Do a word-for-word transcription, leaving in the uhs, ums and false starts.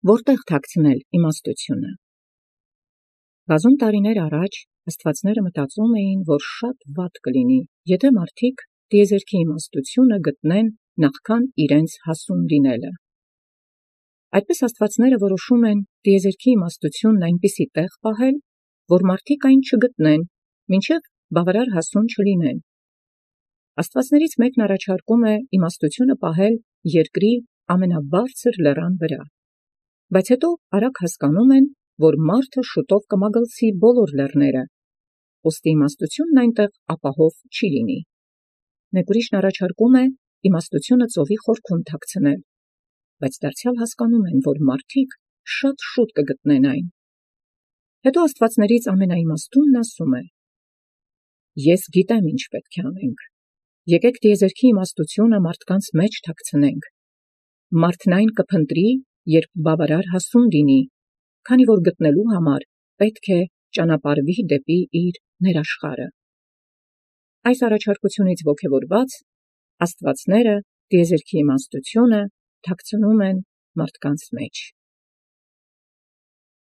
որտեղ թաքցնել իմաստությունը։ Բազում տարիներ առաջ աստվածները մտածում էին, որ շատ վատ կլինի, եթե մարդիկ տիեզերքի իմաստությունը գտնեն նախքան իրենց հասուն լինելը։ Այդպես աստվածները որոշում են տիեզերքի իմաստությունն այնպիսի տեղ պահել, որ մարդիկ այն չգտնեն, մինչև բավարար հասուն չլինեն։ Աստվածներից մեկն առաջարկում է իմաստությունը պահել երկրի ամենաբարձր լեռան վրա, բայց հետո արագ հասկանում են, որ մարդը շուտով կմագլցի բոլոր լեռները, ուստի իմաստությունն այնտեղ ապահով չի լինի։ Մեկ ուրիշն առաջարկում է իմաստությունը ծովի խորքում թաքցնել, բայց դարձյալ հասկանում են, որ մարդիկ շատ շուտ կգտնեն այն։ Հետո աստվածներից ամենաիմաստունն ասում է. «Ես գիտեմ ինչ պետք է անենք, եկեք տիեզերքի իմաստությունը մարդկանց մեջ թաքցնենք, մարդն այն կփնտրի, երբ բավարար հասուն լինի, քանի որ գտնելու համար պետք է ճանապարհվի դեպի իր ներաշխարը»։ Այս առաջարկությունից ոգևորված աստվածները տիեզերքի իմաստությունը թաքցնում են մարդկանց մեջ։